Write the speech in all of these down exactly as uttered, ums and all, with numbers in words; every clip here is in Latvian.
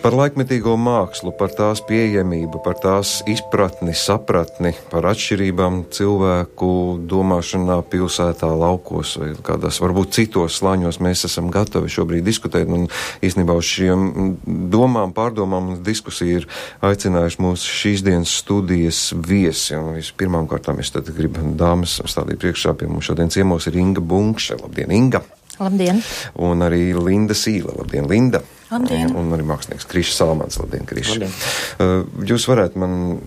Par laikmetīgo mākslu, par tās pieejamību, par tās izpratni, sapratni, par atšķirībām cilvēku domāšanā pilsētā, laukos vai kādās varbūt citos slāņos mēs esam gatavi šobrīd diskutēt. Un īstenībā uz šiem domām, pārdomām un diskusiju ir aicinājuši mūsu šīs dienas studijas viesi. Un vispirmām kārtām es tad gribu dāmas stādīt priekšā. Pie mums šodien ciemos ir Inga Bunkše. Labdien, Inga! Labdien! Un arī Linda Sīle. Labdien, Linda! Labdien. Un, un arī mākslinieks Krišs Salmans. Labdien, Krišs. Uh, jūs varētu man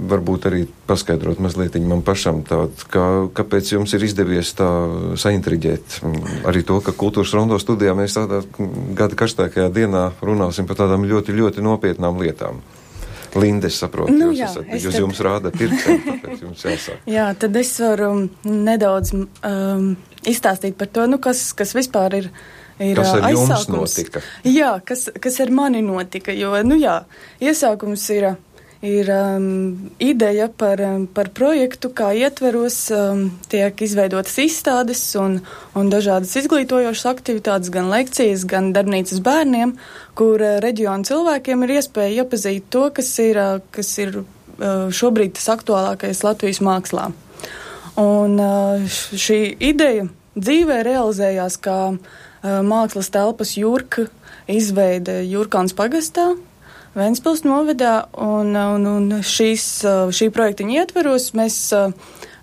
varbūt arī paskaidrot mazliet man pašam tādu, kā, kāpēc jums ir izdevies tā saintriģēt arī to, ka Kultūras Rondo studijā mēs tādā gada karstākajā dienā runāsim par tādām ļoti, ļoti nopietnām lietām. Linda, es saprotu, nu, jūs, jā, esat, es jūs tad... jums rāda pirkstiem, tāpēc jums jāsāk. Jā, tad es varu nedaudz um, izstāstīt par to, nu, kas, kas vispār ir Ir kas ar aizsākums. Jums notika? Jā, kas, kas ar mani notika, jo, nu jā, iesākums ir, ir um, ideja par, par projektu, kā ietveros um, tiek izveidotas izstādes un, un dažādas izglītojošas aktivitātes, gan lekcijas, gan darbnīcas bērniem, kur uh, reģionu cilvēkiem ir iespēja iepazīt to, kas ir, uh, kas ir uh, šobrīd tas aktuālākais Latvijas mākslā. Un uh, šī ideja dzīvē realizējās kā mākslas telpas Jurka izveide Jurkāns pagastā, Ventspils novadā, un, un, un šīs, šī projektiņa ietveros mēs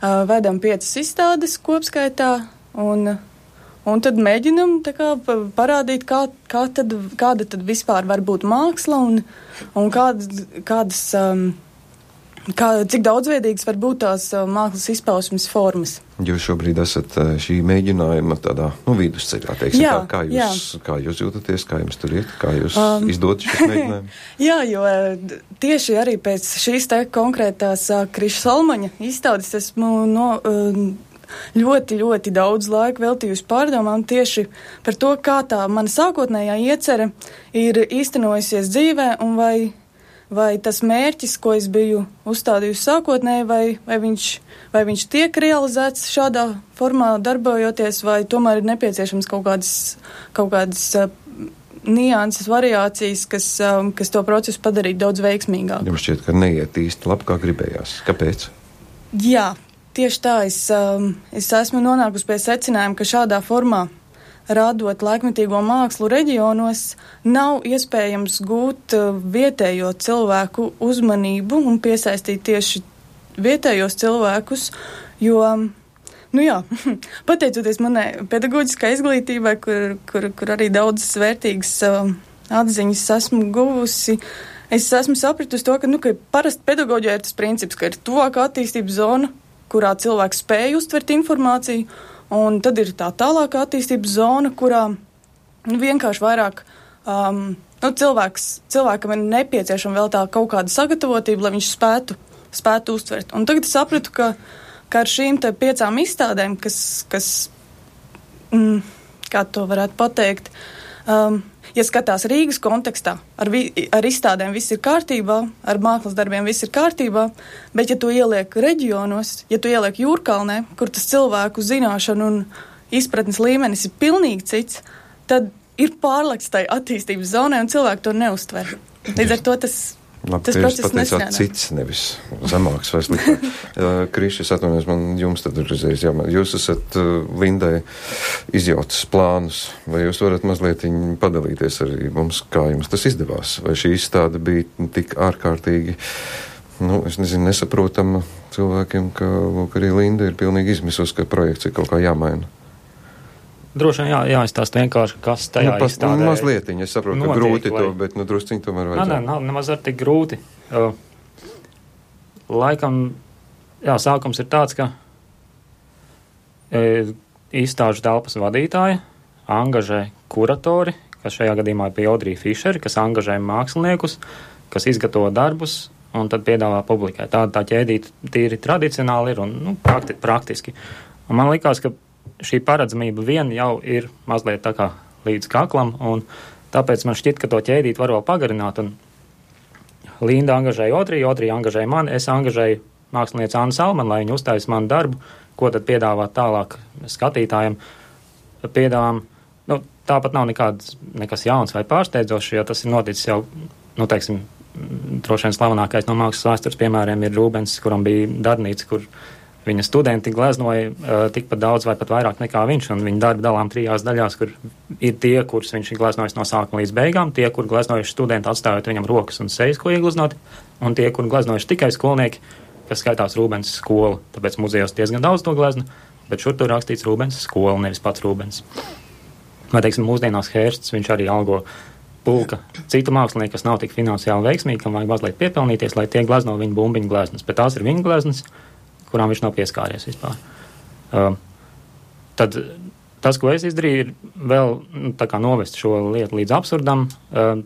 vedam piecas izstādes kopskaitā, un, un tad mēģinam tā kā parādīt, kā, kā tad, kāda tad vispār var būt māksla, un, un kādas, kādas Kā, cik daudzveidīgas var būt tās uh, mākslas izpausmes formas. Jūs šobrīd esat uh, šī mēģinājuma tādā, nu, vidusceļā, teiksim, jā, tā, kā jūs, kā jūs jūtaties, kā jums tur iet, kā jūs um, izdodat šis mēģinājums? Jā, jo uh, tieši arī pēc šīs te konkrētās uh, Kriša Salmaņa izstādes esmu no, uh, ļoti, ļoti daudz laika veltījusi pārdomām tieši par to, kā tā mana sākotnējā iecerē ir īstenojusies dzīvē un vai Vai tas mērķis, ko es biju uzstādījusi sākotnēji, vai, vai, viņš, vai viņš tiek realizēts šādā formā darbojoties, vai tomēr ir nepieciešams kaut kādas, kaut kādas uh, nianses, variācijas, kas, um, kas to procesu padarītu daudz veiksmīgāku. Jums šķiet, ka neiet īsti labi, kā gribējās. Kāpēc? Jā, tieši tā. Es, um, es esmu nonākusi pie secinājuma, ka šādā formā rādot laikmetīgo mākslu reģionos, nav iespējams gūt vietējo cilvēku uzmanību un piesaistīt tieši vietējos cilvēkus, jo, nu jā, pateicoties manai pedagoģiskai izglītībai, kur, kur, kur arī daudzas vērtīgas uh, atziņas esmu guvusi, es esmu sapratusi to, ka, nu, ka parasti pedagoģijā ir tas princips, ka ir tuvākā attīstības zona, kurā cilvēks spēj uztvert informāciju, un tad ir tā tālākā attīstības zona, kurā nu, vienkārši vairāk um, nu, cilvēks, cilvēkam ir nepieciešama vēl tā kaut kāda sagatavotība, lai viņš spētu, spētu uztvert. Un tagad es sapratu, ka, ka ar šīm te piecām izstādēm, kas, kas mm, kā to varētu pateikt, um, ja skatās Rīgas kontekstā, ar, vi, ar izstādēm viss ir kārtībā, ar mākslas darbiem viss ir kārtībā, bet ja tu ieliek reģionos, ja tu ieliek Jūrkalnē, kur tas cilvēku zināšanu un izpratnes līmenis ir pilnīgi cits, tad ir pārlekts tai attīstības zonai un cilvēki to neuztver. Līdz ar to tas... Labi, tas process nestrādā. Cits, nevis zemāks vai sliktāk. Krišs, es atvainojos, man jums tad ir uzreiz jāmēr. Jūs esat uh, Lindai izjautas plānus, vai jūs varat mazliet padalīties arī mums, kā jums tas izdevās? Vai šī izstāde bija tik ārkārtīgi, nu, es nezinu, nesaprotama cilvēkiem, ka, lūk, arī Linda ir pilnīgi izmisus, ka projekts ir kaut kā jāmaina? Droši vien jā, jāizstāst vienkārši, kas tajā nu, pas, izstādē mazlietiņ, es saprotu, notiek, ka grūti lai... to, bet nu drusciņ tomēr vajadzētu. Nē, nē, nemaz ar tik grūti. Uh, laikam, jā, sākums ir tāds, ka uh, izstāžu telpas vadītāja angažē kuratori, kas šajā gadījumā ir Piodrija Fišeri, kas angažē māksliniekus, kas izgatavo darbus un tad piedāvā publikai. Tāda tā ķēdīta tīri tradicionāli ir un nu, prakti, praktiski. Un man likās, ka šī paredzamība vien jau ir mazliet tā kā līdz kaklam, un tāpēc man šķiet, ka to ķēdīt var vēl pagarināt, un Linda angažēja Otriju, Otrija angažēja mani, es angažēju mākslinieci Annu Salmanu, lai viņi uztais manu darbu, ko tad piedāvāt tālāk skatītājiem. Piedāvām Nu, tāpat nav nekāds, nekas jauns vai pārsteidzošs, jo tas ir noticis jau, nu, teiksim, droši vien slavenākais no mākslas vēstures piemēriem ir Rūbens, kuram bija darbnīca, kur viņa studenti gleznoja uh, tikpat daudz vai pat vairāk nekā viņš, un viņa darba dalām trijās daļās, kur ir tie, kurus viņš ir gleznojis no sākuma līdz beigām, tie, kur gleznojuši studenti atstājot viņam rokas un sejas, ko iegleznot, un tie, kur gleznojuši tikai skolnieki, kas skaitās Rūbens skola, tāpēc muzejos diezgan daudz to glezna, bet šur tur rakstīts Rūbens skola, nevis pats Rūbens. Vai, teiksim, mūsdienās Hērsts, viņš arī algo pulka citu mākslinieku, kas nav tik finansiāli veiksmīgi, kam vajag mazliet piepelnīties, lai tie glezno viņa bumbiņu gleznas, bet tās ir viņa gleznas, kurām viņš nav pieskāries vispār. Uh, tad tas, ko es izdarīju, ir vēl nu, tā kā novest šo lietu līdz absurdam, uh,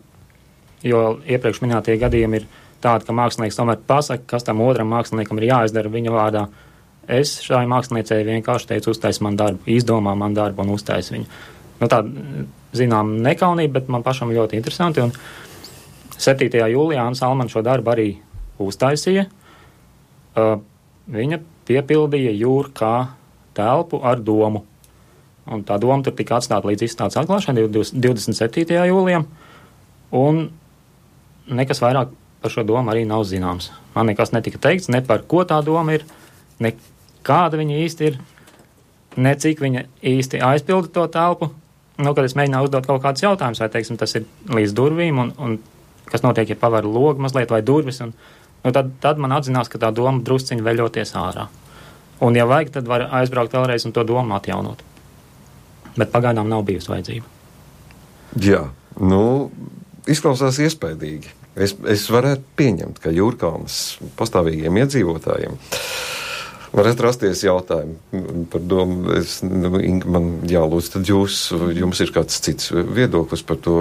jo iepriekš minētie gadījumi ir tādi, ka mākslinieks tomēr pasaka, kas tam otram māksliniekam ir jāizdara viņa vārdā. Es šai māksliniecei vienkārši teicu, uztais man darbu, izdomā man darbu un uztais viņu. Nu, tā, zinām, nekaunība, bet man pašam ļoti interesanti. Un septītajā jūlijā Anna Salmana šo darbu arī uztaisīja. Uh, Viņa piepildīja jūru kā telpu ar domu. Un tā doma tur tika atstāta līdz izstādes atklāšanai divdesmit septītajā jūlijā. Un nekas vairāk par šo domu arī nav zināms. Man nekas netika teikts, ne par ko tā doma ir, ne kāda viņa īsti ir, ne cik viņa īsti aizpilda to telpu. Nu, kad es mēģināju uzdot kaut kādus jautājumus, vai, teiksim, tas ir līdz durvīm, un, un kas notiek, ja paver logu mazliet vai durvis, un nu, tad, tad man atzinās, ka tā doma drusciņi veļoties ārā. Un, ja vajag, tad var aizbraukt vēlreiz un to domu atjaunot. Bet pagaidām nav bijusi vajadzība. Jā, nu, izklausās iespaidīgi. Es, es varētu pieņemt, ka Jūrkalnas pastāvīgiem iedzīvotājiem varētu rasties jautājumi par domu. Es, nu, man jālūdz, tad jūs, jums ir kāds cits viedoklis par to,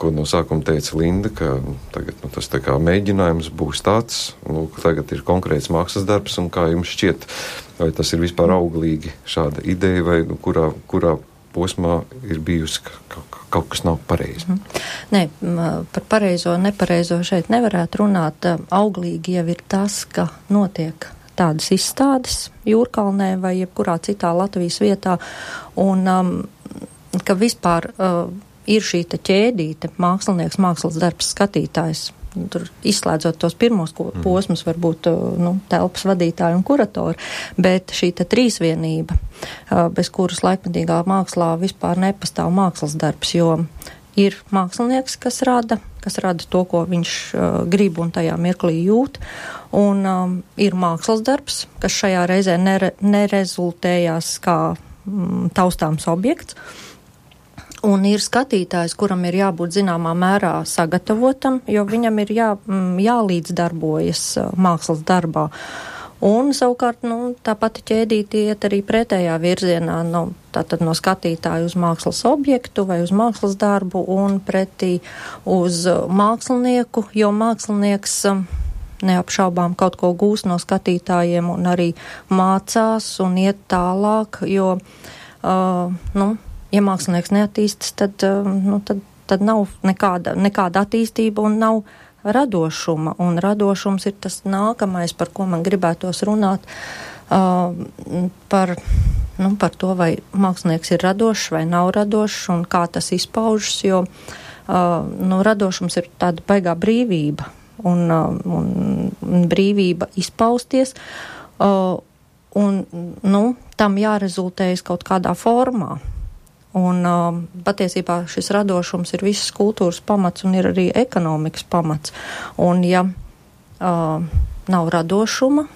ko no sākuma teica Linda, ka tagad nu, tas tā kā mēģinājums būs tāds, nu, ka tagad ir konkrēts mākslas darbs, un kā jums šķiet, vai tas ir vispār auglīgi šāda ideja, vai nu, kurā, kurā posmā ir bijusi, ka, ka kaut kas nav pareizi? Mm. Nē, par pareizo, nepareizo šeit nevarētu runāt. Auglīgi jau ir tas, ka notiek tādas izstādes Jūrkalnē vai jebkurā citā Latvijas vietā, un um, ka vispār uh, ir šī ķēdīte, mākslinieks, mākslas darbs, skatītājs. Tur izslēdzot tos pirmos ko, posmus, varbūt uh, nu, telpas vadītāji un kuratori, bet šī trīsvienība, uh, bez kuras laikmetīgā mākslā vispār nepastāv mākslas darbs, jo ir mākslinieks, kas rada, kas rada to, ko viņš uh, grib un tajā mirklī jūt, un um, ir mākslas darbs, kas šajā reizē nere, nerezultējās kā mm, taustāms objekts, un ir skatītājs, kuram ir jābūt zināmā mērā sagatavotam, jo viņam ir jā, mm, jālīdzdarbojas uh, mākslas darbā. Un savukārt, nu, tā pati ķēdīte iet arī pretējā virzienā, nu, tātad no skatītāja uz mākslas objektu vai uz mākslas darbu un pretī uz mākslinieku, jo mākslinieks neapšaubām kaut ko gūs no skatītājiem un arī mācās un iet tālāk, jo, uh, nu, ja mākslinieks neattīstas, tad, uh, nu, tad, tad nav nekāda, nekāda attīstība un nav radošuma, un radošums ir tas nākamais, par ko man gribētos runāt, uh, par, nu, par to, vai mākslinieks ir radošs vai nav radošs, un kā tas izpaužas, jo uh, nu, radošums ir tāda baigā brīvība, un, uh, un brīvība izpausties, uh, un, nu, tam jārezultējas kaut kādā formā. Un uh, patiesībā šis radošums ir visas kultūras pamats un ir arī ekonomikas pamats. Un ja uh, nav radošuma,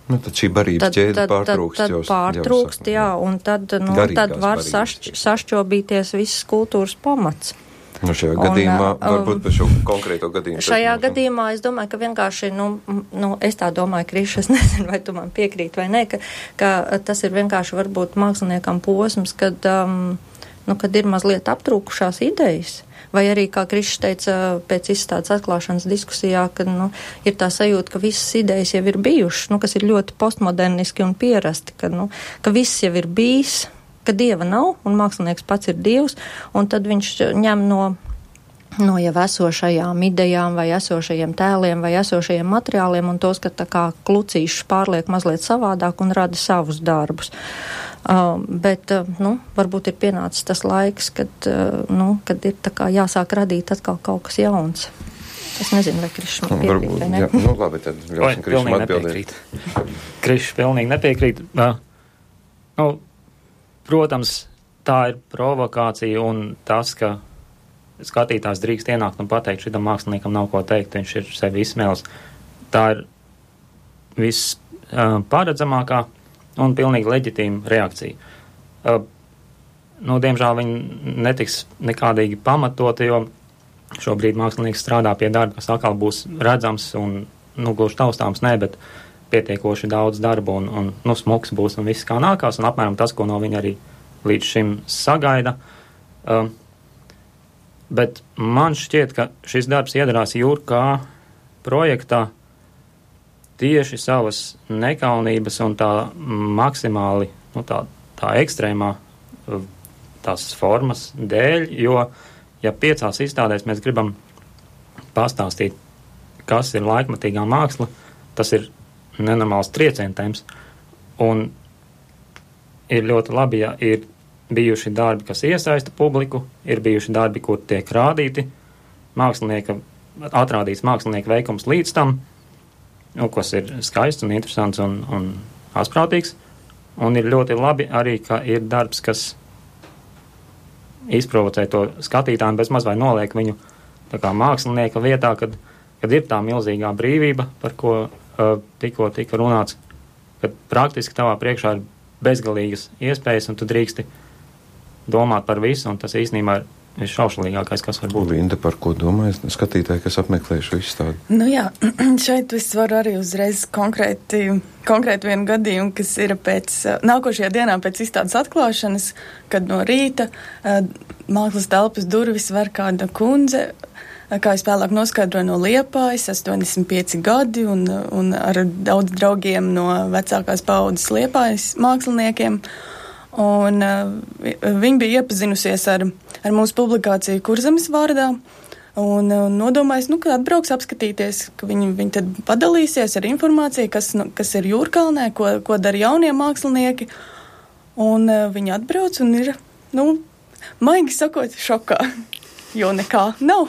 nu, tad šī barības ķēde pārtrūkst. Tad, tad pārtrūkst, jā, un tad, nu, tad var sašķ, sašķobīties visas kultūras pamats. Nu, šajā un, gadījumā, um, varbūt par šo konkrēto gadījumu. Šajā gadījumā es domāju, ka vienkārši, nu, nu es tā domāju, Kriš, es nezinu, vai tu man piekrīt vai ne, ka, ka tas ir vienkārši varbūt māksliniekam posms, kad, um, nu, kad ir mazliet aptrūkušās idejas. Vai arī, kā Krišs teica pēc izstādes atklāšanas diskusijā, ka, nu, ir tā sajūta, ka visas idejas jau ir bijušas, nu, kas ir ļoti postmoderniski un pierasti, ka, nu, ka viss jau ir bijis, ka dieva nav, un mākslinieks pats ir dievs, un tad viņš ņem no, no jau esošajām idejām, vai esošajiem tēliem, vai esošajiem materiāliem, un tos, ka tā kā klucīšus pārliek mazliet savādāk un rada savus darbus. Uh, bet, uh, nu, varbūt ir pienācis tas laiks, kad, uh, nu, kad ir tā kā jāsāk radīt atkal kaut kas jauns. Es nezinu, vai Krišs man piekrīt, vai ne? Jā, nu, labi, tad ļausim Krišam atbildēt. Krišs pilnīgi nepiekrīt. Uh, nu, protams, tā ir provokācija un tas, ka skatītājs drīkst ienākt un pateikt, šitam māksliniekam nav ko teikt, viņš ir sevi izsmēlis. Tā ir viss uh, paredzamākā un pilnīgi leģitīma reakcija. Uh, nu, diemžēl viņi netiks nekādīgi pamatoti, jo šobrīd mākslinieks strādā pie darba, kas atkal būs redzams un, nu, gluži taustāms, ne, bet pietiekoši daudz darbu un, un nu, smuks būs un viss kā nākās, un apmēram tas, ko no viņa arī līdz šim sagaida. Uh, bet man šķiet, ka šis darbs iedarās Jūrkā projektā tieši savas nekaunības un tā maksimāli, nu, tā, tā ekstrēmā tās formas dēļ, jo, ja piecās izstādēs mēs gribam pastāstīt, kas ir laikmatīgā māksla, tas ir nenormāls triecientēms, un ir ļoti labi, ja ir bijuši darbi, kas iesaista publiku, ir bijuši darbi, kur tiek rādīti mākslinieka, atrādīts mākslinieka veikums līdz tam, nu, kas ir skaists un interesants un, un asprātīgs, un ir ļoti labi arī, ka ir darbs, kas izprovocē to skatītājiem, bez maz vai noliek viņu tā kā mākslinieka vietā, kad, kad ir tā milzīgā brīvība, par ko uh, tikko tika runāts, kad praktiski tavā priekšā ir bezgalīgas iespējas, un tu drīksti domāt par visu, un tas īstenībā ir visšaušalīgākais, kas var būt. Linda, par ko domājas skatītāji, kas apmeklē šo izstādi? Nu jā, šeit es varu arī uzreiz konkrēti, konkrēti vienu gadījumu, kas ir pēc, nākošajā dienā pēc izstādes atklāšanas, kad no rīta mākslas telpas durvis var kāda kundze, kā es vēlāk noskaidroju, no Liepājas, astoņdesmit pieci gadi, un, un ar daudz draugiem no vecākās paudzes Liepājas māksliniekiem. Un uh, viņi bija iepazinusies ar, ar mūsu publikāciju Kurzemes vārdā un uh, nodomājis, nu, ka atbrauks apskatīties, ka viņi, viņi tad padalīsies ar informāciju, kas, nu, kas ir Jūrkalnē, ko, ko dara jaunie mākslinieki. Un uh, viņi atbrauc un ir, nu, maigi sakot, šokā, jo nekā nav.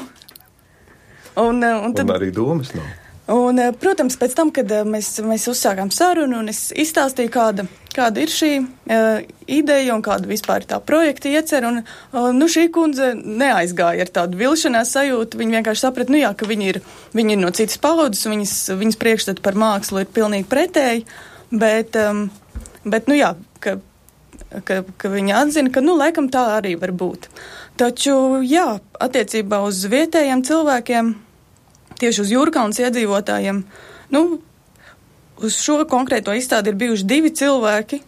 Un, uh, un, tad, un arī domas nav. Un, protams, pēc tam, kad mēs, mēs uzsākām sarunu un es izstāstīju, kāda, kāda ir šī uh, ideja un kāda vispār ir tā projekta iecer, un uh, nu, šī kundze neaizgāja ar tādu vilšanās sajūtu, viņa vienkārši saprata, nu jā, ka viņi ir, viņi ir no citas paudzes, viņas, viņas priekšstati par mākslu ir pilnīgi pretēji, bet, um, bet nu jā, ka, ka, ka viņa atzina, ka, nu, laikam tā arī var būt. Taču, jā, attiecībā uz vietējiem cilvēkiem, tieši uz Jūrkalnes iedzīvotājiem, nu, uz šo konkrēto izstādi ir bijuši divi cilvēki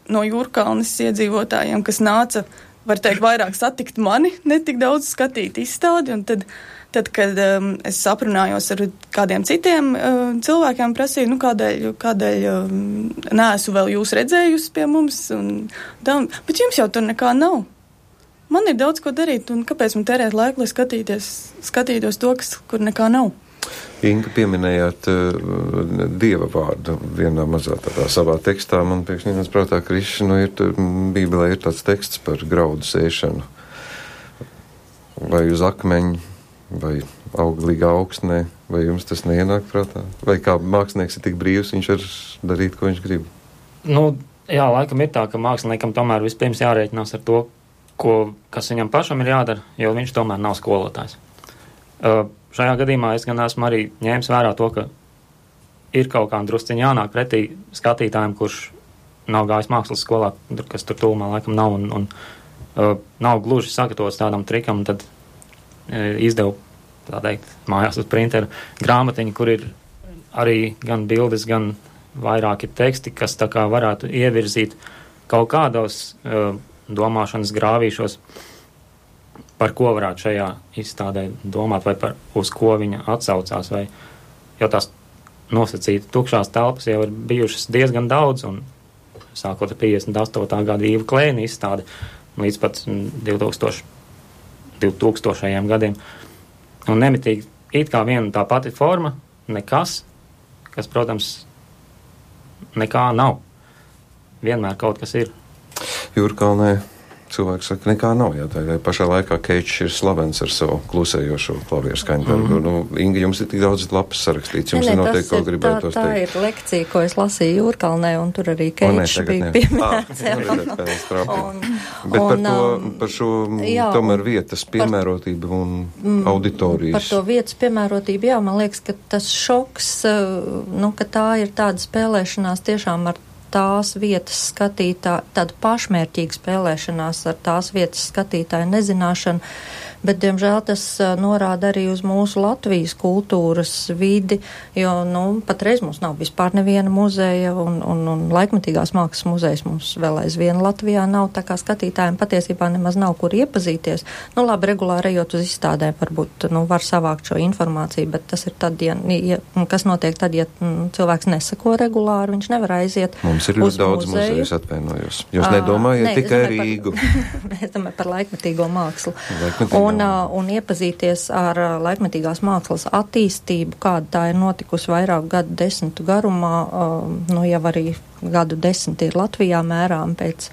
no Jūrkalnes iedzīvotājiem, kas nāca, var teikt, vairāk satikt mani, ne tik daudz skatīt izstādi, un tad, tad kad um, es aprunājos ar kādiem citiem uh, cilvēkiem, prasīju, nu, kādēļ, kādēļ um, neesmu vēl jūs redzējusi pie mums, un tā, bet jums jau tur nekā nav. Man ir daudz ko darīt, un kāpēc man tērēt laiku, lai skatīties, skatītos to, kas, kur nekā nav? Inga, pieminējāt uh, dieva vārdu vienā mazā tādā savā tekstā. Man pēkšņi nāc prātā, ka Krišs, nu, ir, Bībelē ir tāds teksts par graudu sēšanu. Vai uz akmeņa, vai auglīgā augsnē, vai jums tas neienāk prātā? Vai kā mākslinieks ir tik brīvs, viņš var darīt, ko viņš grib? Nu, jā, laikam ir tā, ka māksliniekam tomēr vispirms jārēķinās ar to, ko, kas viņam pašam ir jādara, jo viņš tomēr nav skolotājs. Uh, šajā gadījumā es gan esmu arī ņēmis vērā to, ka ir kaut kā drusciņi jānāk pretī skatītājiem, kurš nav gājis mākslas skolā, kas tur tūmā laikam nav un, un uh, nav gluži sagatavots tādam trikam, un tad uh, izdevu, tā teikt, mājās uz printeru grāmatiņu, kur ir arī gan bildes, gan vairāki teksti, kas tā kā varētu ievirzīt kaut kādos uh, domāšanas grāvīšos, par ko varētu šajā izstādē domāt, vai par uz ko viņa atsaucās, vai jau tās nosacīta tukšās telpas jau ir bijušas diezgan daudz, un sākot ar piecdesmit astotā gada Īva Klēna izstādi līdz pat divtūkstošajiem gadiem. Un nemitīgi it kā viena tā pati forma, nekas, kas, protams, nekā nav. Vienmēr kaut kas ir. Jūrkalnē cilvēki saka, nekā nav. Jā, tā pašā laikā Keits ir slavens ar savu klusējošo klavieru skaņdarbu. Mm. Nu, Inga, jums ir tik daudz lapas sarakstīts. Jums ne, ir noteikti, ko gribētu tā, tā teikt. Tā ir lekcija, ko es lasīju Jūrkalnē, un tur arī Keits bija pieminēts. Ah, Bet par, to, par šo jā, tomēr vietas piemērotību un mm, auditorijas. Par to vietas piemērotību, jā, man liekas, ka tas šoks, nu, ka tā ir tāda spēlēšanās tiešām ar tās vietas skatītā, tāda pašmērķīga spēlēšanās ar tās vietas skatītāju nezināšanu, bet, diemžēl, tas uh, norāda arī uz mūsu Latvijas kultūras vidi, jo, nu, patreiz mums nav vispār neviena muzeja, un, un, un laikmatīgās mākslas muzejs mums vēl aizvien Latvijā nav, tā kā skatītājiem patiesībā nemaz nav kur iepazīties. Nu, labi, regulāri ejot uz izstādēm, varbūt, nu, var savākt šo informāciju, bet tas ir tad, ja, ja kas notiek tad, ja m, cilvēks nesako regulāri, viņš nevar aiziet. Mums ir ļoti daudz muzeju, es atvainojos. Jūs nedomājat ne, tikai Rīgu? Mēs domājam par laikmetīgo mākslu. Laikmetīgo. Un, un iepazīties ar laikmetīgās mākslas attīstību, kāda tā ir notikusi vairāku gadu desmitu garumā, nu jau arī gadu desmit ir Latvijā mērām pēc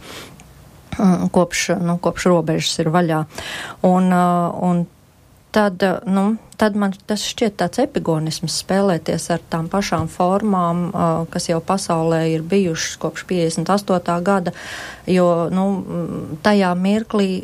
kopš, nu, kopš robežas ir vaļā. Un, un tad, nu, tad man tas šķiet tāds epigonisms spēlēties ar tām pašām formām, kas jau pasaulē ir bijušas kopš piecdesmit astotā gada, jo, nu, tajā mirklī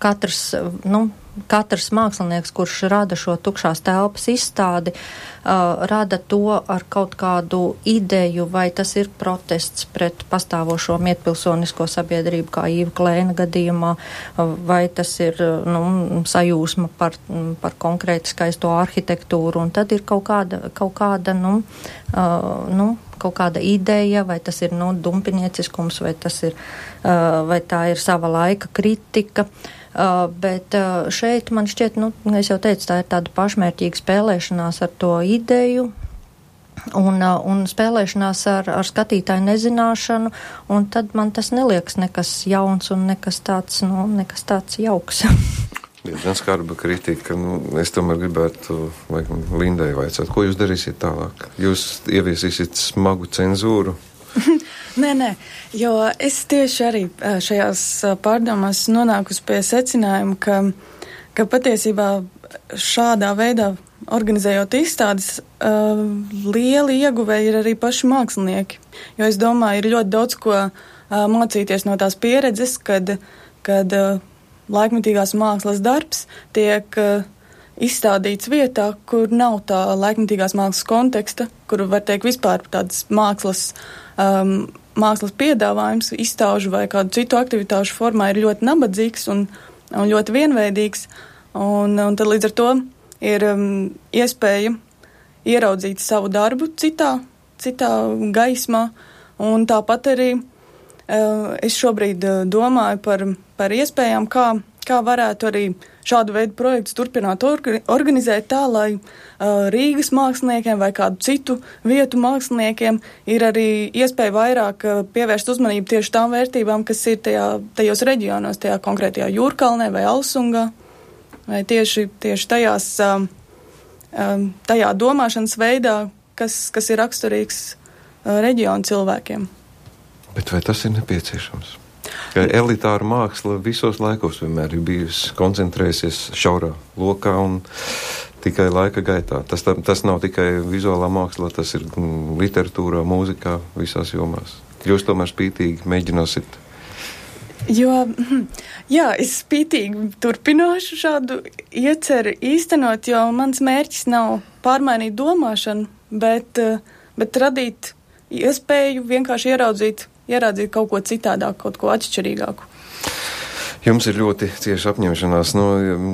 katrs, nu, katrs mākslinieks, kurš rada šo tukšās telpas izstādi, uh, rada to ar kaut kādu ideju, vai tas ir protests pret pastāvošo mietpilsonisko sabiedrību, kā Īva Klēna gadījumā, uh, vai tas ir, nu, sajūsma par, par konkrēti skaisto arhitektūru, un tad ir kaut kāda, kaut kāda, nu, uh, nu, kaut kāda ideja, vai tas ir, nu, dumpinieciskums, vai tas ir, uh, vai tā ir sava laika kritika. Uh, bet uh, šeit man šķiet, nu, es jau teicu, tā ir tāda pašmērķīga spēlēšanās ar to ideju un, uh, un spēlēšanās ar, ar skatītāju nezināšanu, un tad man tas neliekas nekas jauns un nekas tāds, nu, nekas tāds jauks. Diezgan skarba kritika. Nu, es tomēr gribētu, laikam, Lindai vaicāt, ko jūs darīsiet tālāk? Jūs ieviesīsiet smagu cenzūru? Nē, nē, jo es tieši arī šajās pārdomās nonākusi pie secinājuma, ka, ka patiesībā šādā veidā organizējot izstādes, uh, lieli ieguvēji ir arī paši mākslinieki. Jo es domāju, ir ļoti daudz ko uh, mācīties no tās pieredzes, kad, kad uh, laikmetīgās mākslas darbs tiek uh, izstādīts vietā, kur nav tā laikmetīgās mākslas konteksta, kur var teikt vispār tādas mākslas um, mākslas piedāvājums, izstāžu vai kādu citu aktivitāšu formā ir ļoti nabadzīgs un, un ļoti vienveidīgs, un, un tad līdz ar to ir um, iespēja ieraudzīt savu darbu citā, citā gaismā, un tāpat arī uh, es šobrīd uh, domāju par, par iespējām, kā, kā varētu arī šādu veidu projektus turpināt orga, organizēt tā, lai uh, Rīgas māksliniekiem vai kādu citu vietu māksliniekiem ir arī iespēja vairāk uh, pievērst uzmanību tieši tām vērtībām, kas ir tajā, tajos reģionos, tajā konkrētajā Jūrkalnē vai Alsungā, vai tieši, tieši tajās, um, um, tajā domāšanas veidā, kas, kas ir raksturīgs uh, reģionu cilvēkiem. Bet vai tas ir nepieciešams? Ka elitāra māksla visos laikos vienmēr ir bijusi koncentrējusies šaurā lokā un tikai laika gaitā. Tas, tā, tas nav tikai vizuālā māksla, tas ir mm, literatūrā, mūzikā, visās jomās. Jūs tomēr spītīgi mēģināsit. Jo, jā, es spītīgi turpināšu šādu ieceri īstenot, jo mans mērķis nav pārmainīt domāšanu, bet, bet radīt iespēju vienkārši ieraudzīt ieraudzīt kaut ko citādāk, kaut ko atšķirīgāku. Jums ir ļoti cieša apņemšanās. No,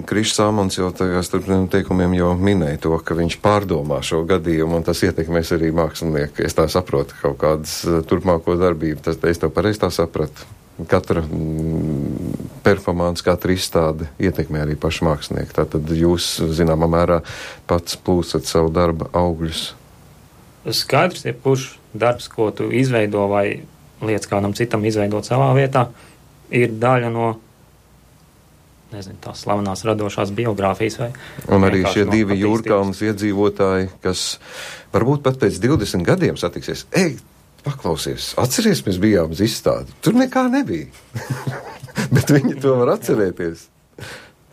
Krišs Sāmons jau tagad starp teikumiem jau minēja to, ka viņš pārdomā šo gadījumu, un tas ietekmēs arī mākslinieku. Es tā saprotu kaut kādas turpmāko darbību. Tas, es tev pareizi tā sapratu. Katra mm, performance, katra izstāde ietekmē arī pašu mākslinieku. Tātad jūs, zināmā mērā, pats plūsat savu darba augļus. Skaidrs, ja kurš darbs, ko tu izveido vai lietas kādam citam izveidot savā vietā, ir daļa no, nezinu, tās slavenās radošās biogrāfijas vai... Un arī šie no divi Jūrkalnas iedzīvotāji, kas varbūt pat pēc divdesmit gadiem satiksies. Ej, paklausies, atceries, mēs bijām uz izstādi. Tur nekā nebija. Bet viņi to var atcerēties.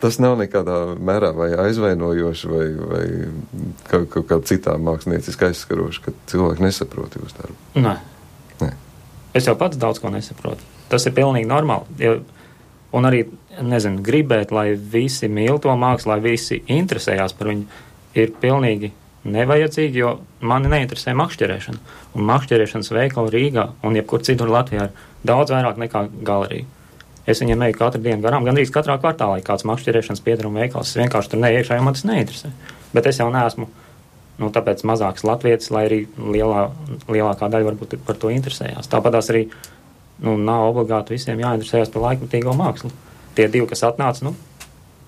Tas nav nekādā mērā vai aizvainojoši vai, vai kaut, kaut kā citā mākslinieciski aizskaroši, ka cilvēki nesaprot jūs darbu. Nē. Nē. Es jau pats daudz ko nesaprotu. Tas ir pilnīgi normāli. Ja, un arī, nezinu, gribēt, lai visi mīl to mākslu, lai visi interesējās par viņu, ir pilnīgi nevajadzīgi, jo mani neinteresē makšķerēšana. Un makšķerēšanas veikala Rīgā un jebkur citur Latvijā ir daudz vairāk nekā galerija. Es viņiem eju katru dienu garām, gandrīz katrā kvartālā ir kāds makšķerēšanas piedaruma veikals. Es vienkārši tur neiekšā, jo man tas neinteresē. Bet es jau neesmu, nu, tāpēc mazāks latvietis, lai arī lielā, lielākā daļa varbūt par to interesējās. Tāpatās arī, nu, nav obligāti visiem jāinteresējās par laikmetīgo mākslu. Tie divi, kas atnāca, nu,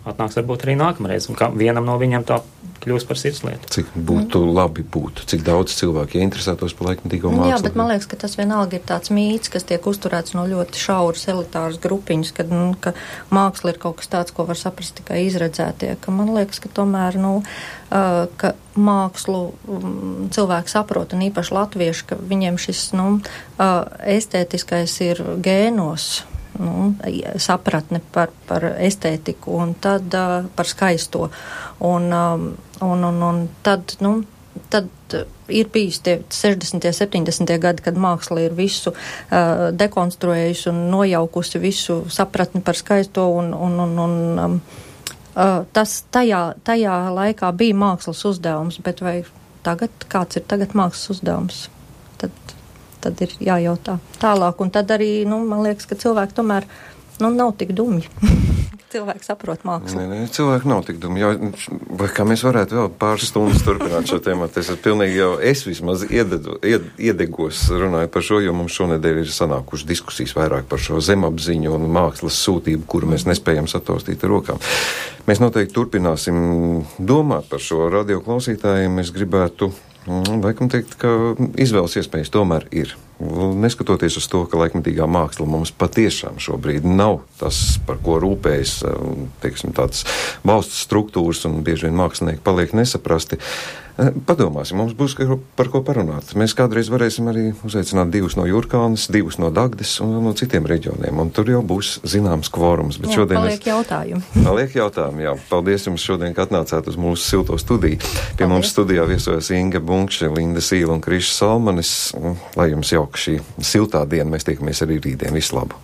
atnāks varbūt arī nākamreiz, un kā vienam no viņiem tā kļūs par sirdslietu. Cik būtu mm. labi būtu, cik daudz cilvēki interesētos par laikmetīgo mākslu. Jā, bet man liekas, ka tas vienalga ir tāds mīts, kas tiek uzturēts no ļoti šauras elitāras grupiņas, kad, nu, ka māksla ir kaut kas tāds, ko var saprast tikai izredzētie, ka man liekas, ka tomēr, nu, uh, ka mākslu um, cilvēki saprot, un īpaši latvieši, ka viņiem šis, nu, uh, estētiskais ir gēnos, nu, sapratne par, par estētiku un tad uh, par skaisto. Un, um, un, un, un tad, nu, tad ir bijis tie sešdesmitie, septiņdesmitie gadi, kad māksla ir visu uh, dekonstruējusi un nojaukusi visu sapratni par skaisto un, un, un, un um, uh, tas tajā, tajā laikā bija mākslas uzdevums, bet vai tagad, kāds ir tagad mākslas uzdevums? Tad tad ir jājautā tālāk, un tad arī, nu, man liekas, ka cilvēki tomēr, nu, nav tik dumji. Cilvēki saprot mākslu. Nē, nē, cilvēki nav tik dumji. Vai kā mēs varētu vēl pāris stundas turpināt šo tēmu? Es pilnīgi jau, es vismaz iededu, ied, iedegos runāju par šo, jo mums šonedēļ ir sanākuši diskusijas vairāk par šo zemapziņu un mākslas sūtību, kuru mēs nespējam sataustīt ar rokām. Mēs noteikti turpināsim domāt par šo radio klausītājiem. Es gribētu laikam teikt, ka izvēles iespējas tomēr ir. Neskatoties uz to, ka laikmetīgā māksla mums patiešām šobrīd nav tas, par ko rūpējas, teiksim, tādas valsts struktūras un bieži vien mākslinieki paliek nesaprasti. Padomāsim, mums būs par ko parunāt. Mēs kādreiz varēsim arī uzaicināt divus no Jūrkalnes, divus no Dagdes un no citiem reģioniem, un tur jau būs zināms kvorums. Bet jā, šodien paliek es... jautājumi. Paliek jautājumi, jā. Paldies jums šodien, ka atnācāt uz mūsu silto studiju. Pie Paldies. Mums studijā viesojas Inga Bunkše, Linda Sīla un Krišs Salmanis. Lai jums jauka šī siltā diena, mēs tiekamies arī rītdien. Visu labu!